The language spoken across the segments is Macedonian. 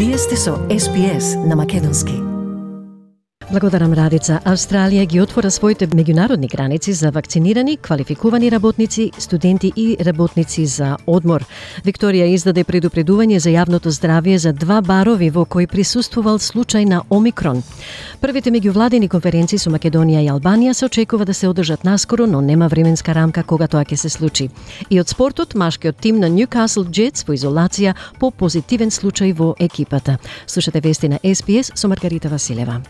Вие сте со SPS на македонски. Благодарам, Радица. Австралија ги отвора своите меѓународни граници за вакцинирани, квалификувани работници, студенти и работници за одмор. Викторија издаде предупредување за јавното здравје за 2 барови во кои присуствувал случај на Омикрон. Првите меѓувладени конференции со Македонија и Албанија се очекува да се одржат наскоро, но нема временска рамка кога тоа ќе се случи. И од спортот, машкиот тим на Newcastle Jets во изолација по позитивен случај во екипата. Слушате вести на SPS со Маргарита Василева.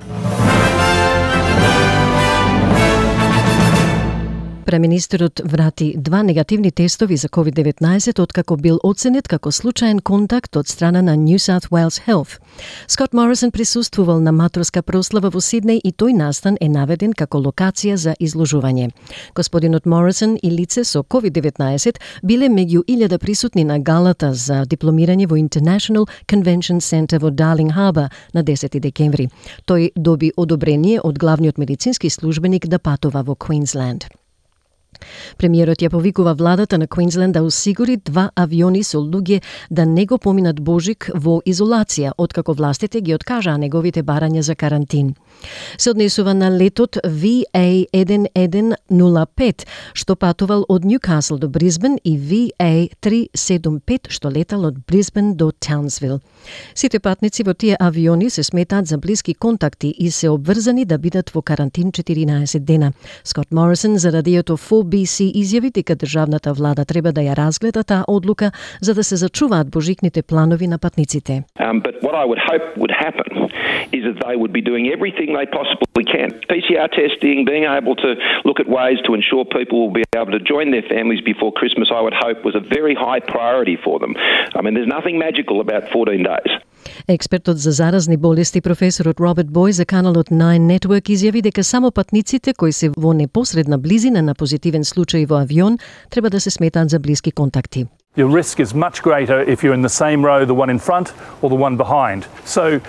Преминистерот врати 2 негативни тестови за COVID-19 откако бил оценет како случаен контакт од страна на New South Wales Health. Скот Морисон присуствувал на матроска прослава во Сиднеј и тој настан е наведен како локација за изложување. Господинот Морисон и лице со COVID-19 биле меѓу 1000 присутни на галата за дипломирање во International Convention Center во Darling Harbour на 10 декември. Тој доби одобрение од главниот медицински службеник да патува во Квинсленд. Премиерот ја повикува владата на Квинсленд да осигури 2 авиони со луѓе да не го поминат Божик во изолација, откако властите ги откажаа неговите барања за карантин. Се однесува на летот VA1105, што патувал од Ньюкасл до Брисбен, и VA375, што летал од Брисбен до Таунсвил. Сите патници во тие авиони се сметаат за блиски контакти и се обврзани да бидат во карантин 14 дена. Скот Морисон за радиото 4BC изјави дека државната влада треба да ја разгледа таа одлука за да се зачуваат божикните планови на патниците. But what I would hope would happen is that they would be doing everything they possibly can. PCR testing, being able to look at ways to ensure people will be able to join their families before Christmas, I would hope was a very high priority for them. I mean, there's nothing magical about 14 days. Експертот за заразни болести професорот Роберт Бој за каналот Nine Network изјави дека само патниците кои се во непосредна близина на позитивен случај во авион треба да се сметаат за блиски контакти. Your risk is much greater if you're in the same row, the one in front or the one behind. So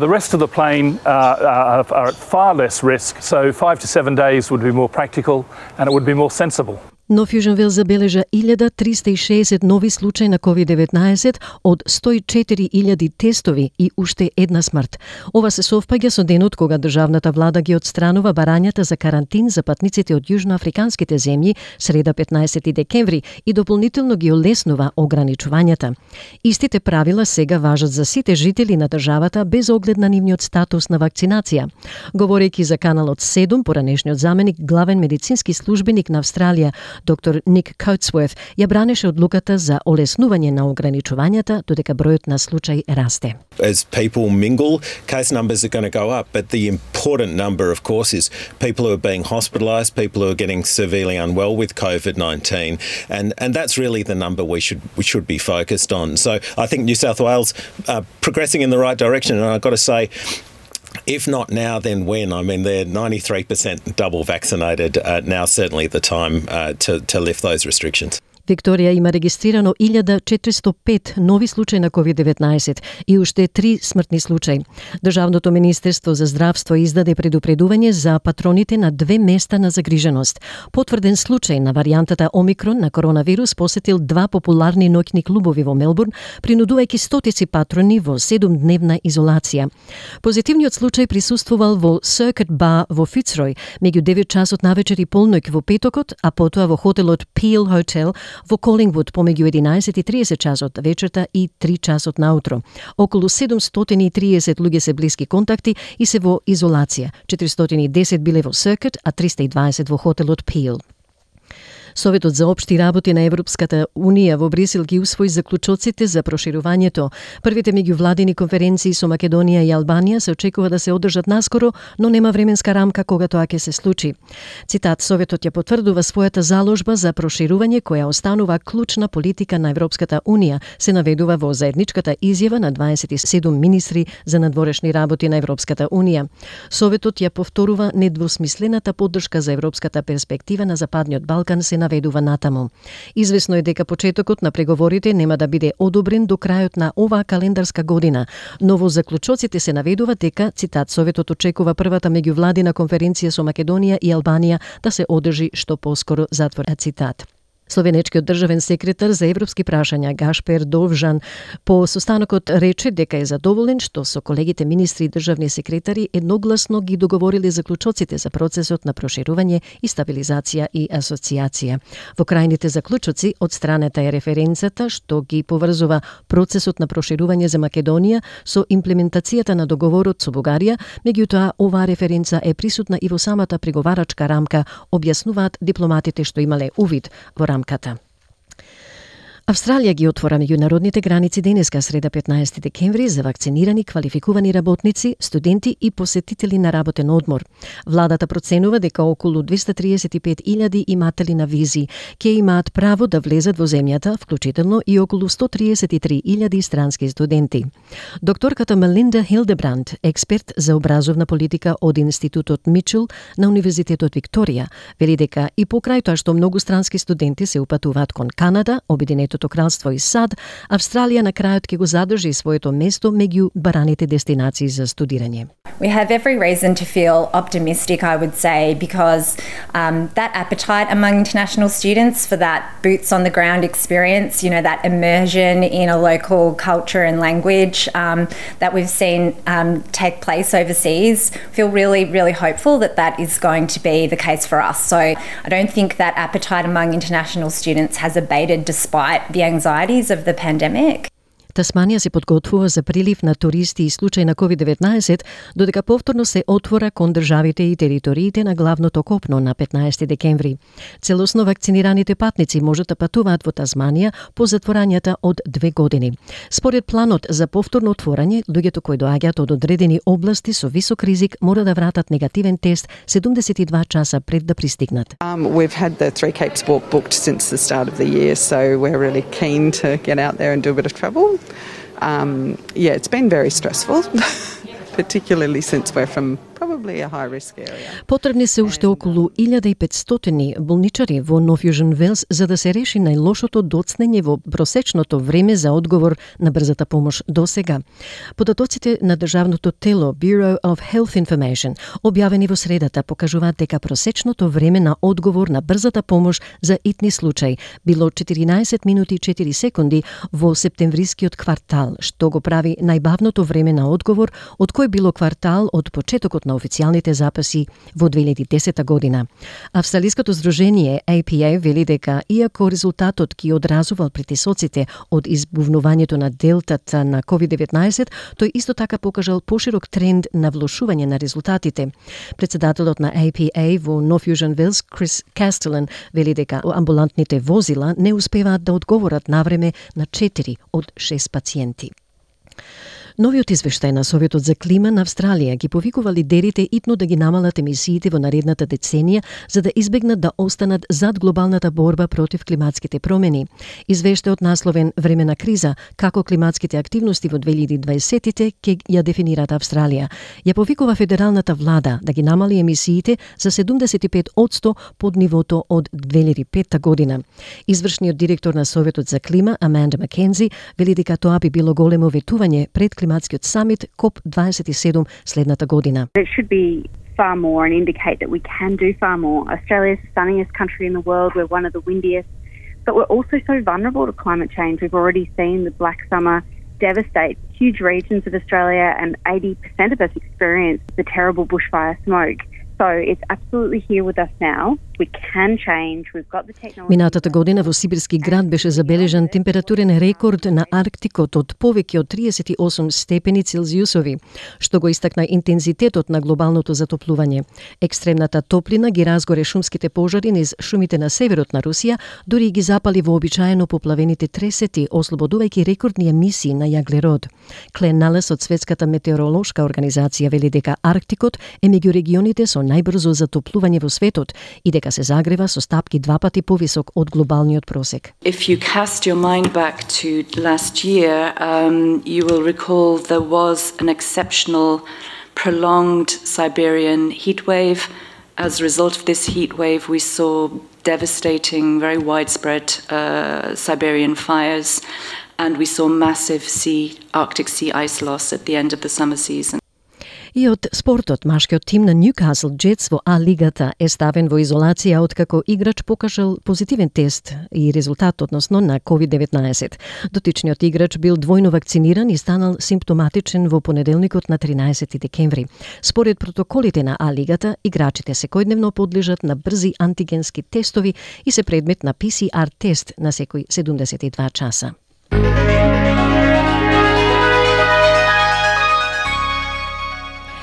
the rest of the plane are at far less risk, so 5 to 7 days would be more practical and it would be more sensible. Но Фјуженвил забележа 1360 нови случаи на COVID-19 од 104.000 тестови и уште една смрт. Ова се совпаѓа со денот кога државната влада ги отстранува барањата за карантин за патниците од јужноафриканските земји среда 15 декември и дополнително ги олеснува ограничувањата. Истите правила сега важат за сите жители на државата без оглед на нивниот статус на вакцинација. Говорејќи за каналот 7, поранешниот заменик главен медицински службеник на Австралија, доктор Ник Коутсворт, ја бранеше одлуката за олеснување на ограничувањата додека бројот на случаи расте. As people mingle, case numbers are going to go up, but the important number, of course, is people who are being hospitalised, people who are getting severely unwell with COVID-19, and that's really the number we should be focused on. So I think New South Wales are progressing in the right direction, and I've got to say, if not now, then when? I mean, they're 93% double vaccinated. Now certainly the time to lift those restrictions. Викторија има регистрирано 1405 нови случаи на COVID-19 и уште 3 смртни случаи. Државното министерство за здравство издаде предупредување за патроните на 2 места на загриженост. Потврден случај на варијантата Омикрон на коронавирус посетил 2 популарни ноќни клубови во Мелбурн, принудувајќи стотици патрони во 7-дневна изолација. Позитивниот случај присуствувал во Circuit Bar во Фицрој меѓу 9 часот навечер и полноќ во петокот, а потоа во хотелот Peel Hotel во Колингвуд помеѓу 11:30 часот вечерта и 3 часот наутро. Околу 730 луѓе се блиски контакти и се во изолација. 410 биле во Circuit, а 320 во хотелот Peel. Советот за општи работи на Европската Унија во Брисел ги усвои заклучоците за проширувањето. Првите меѓувладени конференции со Македонија и Албанија се очекува да се одржат наскоро, но нема временска рамка кога тоа ќе се случи. Цитат: Советот ја потврдува својата заложба за проширување која останува клучна политика на Европската Унија, се наведува во заедничката изјава на 27 министри за надворешни работи на Европската Унија. Советот ја повторува недвосмислената поддршка за европската перспектива на Западниот Балкан, се наведува натаму. Извесно е дека почетокот на преговорите нема да биде одобрен до крајот на оваа календарска година, но во заклучоците се наведува дека, цитат, Советот очекува првата меѓувладина конференција со Македонија и Албанија да се одржи што поскоро, затвор цитат. Словенечкиот државен секретар за европски прашања Гашпер Довжан по состанокот рече дека е задоволен што со колегите министри и државни секретари едногласно ги договориле заклучоците за процесот на проширување и стабилизација и асоциација. Во крајните заклучоци од страната е референцата што ги поврзува процесот на проширување за Македонија со имплементацијата на договорот со Бугарија, меѓутоа оваа референца е присутна и во самата преговарачка рамка, објаснуваат дипломатите што имале увид во рамката. Австралија ги отвора меѓународните граници денеска, среда 15 декември, за вакцинирани, квалификувани работници, студенти и посетители на работен одмор. Владата проценува дека околу 235.000 иматели на визи ќе имаат право да влезат во земјата, вклучително и околу 133.000 странски студенти. Докторката Мелинда Хилдебранд, експерт за образовна политика од Институтот Мичел на Универзитетот Викторија, вели дека и покрај тоа што многу странски студенти се упатуваат кон Канада, Обединетото кралство и САД, Австралија на крајот ќе го задржи своето место меѓу бараните дестинации за студирање. We have every reason to feel optimistic, I would say, because that appetite among international students for that boots on the ground experience, that immersion in a local culture and language that we've seen take place overseas, feel really, really hopeful that that is going to be the case for us. So I don't think that appetite among international students has abated despite the anxieties of the pandemic. Тасманија се подготвува за прилив на туристи и случај на COVID-19, додека повторно се отвора кон државите и териториите на главното копно на 15 декември. Целосно вакцинираните патници можат да патуваат во Тасманија по затворањата од 2 години. Според планот за повторно отворање, луѓето кои доаѓаат од одредени области со висок ризик мора да вратат негативен тест 72 часа пред да пристигнат. We've had the Three Capes walk booked since the start of the year, so we're really keen to get out there and do a bit of travel. It's been very stressful, particularly since we're from probably a high-risk area. Потребни се уште околу 1500 болничари во Нов Јужен Велс за да се реши најлошото доцнење во просечното време за одговор на брзата помош до сега. Податоците на државното тело Bureau of Health Information, објавени во средата, покажуваат дека просечното време на одговор на брзата помош за итни случај било 14 минути и 4 секунди во септемврискиот квартал, што го прави најбавното време на одговор од кој било квартал од почетокот на официјалните записи во 2010 година. Австралиското здружение APA вели дека иако резултатот ги одразувал притисоците од избувнувањето на делтата на COVID-19, тој исто така покажал поширок тренд на влошување на резултатите. Председателот на APA во Нов Јужен Велс, Крис Кастелен, вели дека амбулантните возила не успеваат да одговорат навреме на 4 од 6 пациенти. Новиот извештај на Советот за клима на Австралија ги повикува лидерите итно да ги намалат емисиите во наредната деценија за да избегнат да останат зад глобалната борба против климатските промени. Извештајот насловен Време на криза, како климатските активности во 2020-тите ќе ја дефинираат Австралија, ја повикува федералната влада да ги намали емисиите за 75% под нивото од 2005 година. Извршниот директор на Советот за клима, Аманда Маккензи, вели дека тоа би било големо ветување пред климатскиот самит COP27 следната година. It should be far more and indicate that we can do far more. Australia is the sunniest country in the world. We're one of the windiest, but we're also so vulnerable to climate change. We've already seen the Black Summer devastate huge regions of Australia, and 80% of us experience the terrible bushfire smoke. So it's absolutely here with us now. We can change. We've got the technology. Минатата година во сибирски град беше забележан температурен рекорд на Арктикот од повеќе од 38 степени Целзиусови, што го истакна интензитетот на глобалното затоплување. Екстремната топлина ги разгоре шумските пожари низ шумите на северот на Русија, дури ги запали вообичаено поплавените тресети, ослободувајќи рекордни емисии на јаглерод. Клен Налес од Светската метеоролошка организација вели дека Арктикот е меѓу регионите со најбрзо затоплување во светот и дека се загрева со стапки 2 пати повисок од глобалниот просек. If you cast your mind back to last year, you will recall there was an exceptional prolonged Siberian heat wave. As a result of this heat wave, we saw devastating, very widespread Siberian fires, and we saw massive Arctic sea ice loss at the end of the summer season. И од спортот, машкиот тим на Ньюкасл Джетс во А-лигата е ставен во изолација откако играч покажал позитивен тест и резултат односно на COVID-19. Дотичниот играч бил двојно вакциниран и станал симптоматичен во понеделникот на 13 декември. Според протоколите на А-лигата, играчите секојдневно подлежат на брзи антигенски тестови и се предмет на PCR тест на секој 72 часа.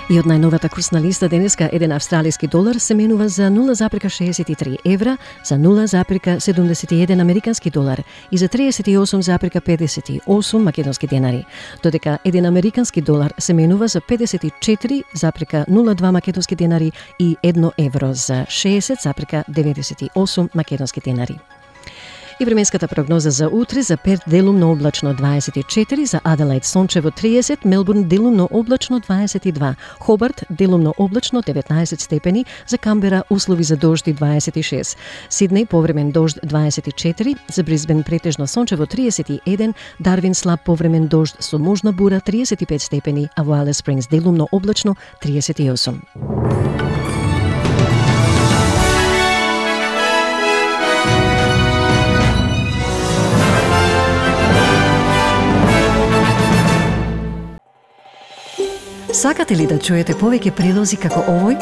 И од најновата курсна листа денеска еден австралиски долар се менува за 0,63 евра, за 0,71 американски долар и за 38,58 македонски денари, додека еден американски долар се менува за 54,02 македонски денари и 1 евро за 60,98 македонски денари. И временската прогноза за утре: за Перт делумно облачно 24, за Аделаид сончево 30, Мелбурн делумно облачно 22, Хобарт делумно облачно 19 степени, за Камбера услови за дожд 26, Сиднеј повремен дожд 24, за Брисбен претежно сончево 31, Дарвин слаб повремен дожд со можна бура 35 степени, а во Алис Спрингс делумно облачно 38. Сакате ли да чуете повеќе прилози како овој?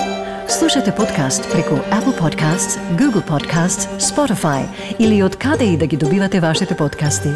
Слушате подкаст преку Apple Podcasts, Google Podcasts, Spotify или од каде и да ги добивате вашите подкасти.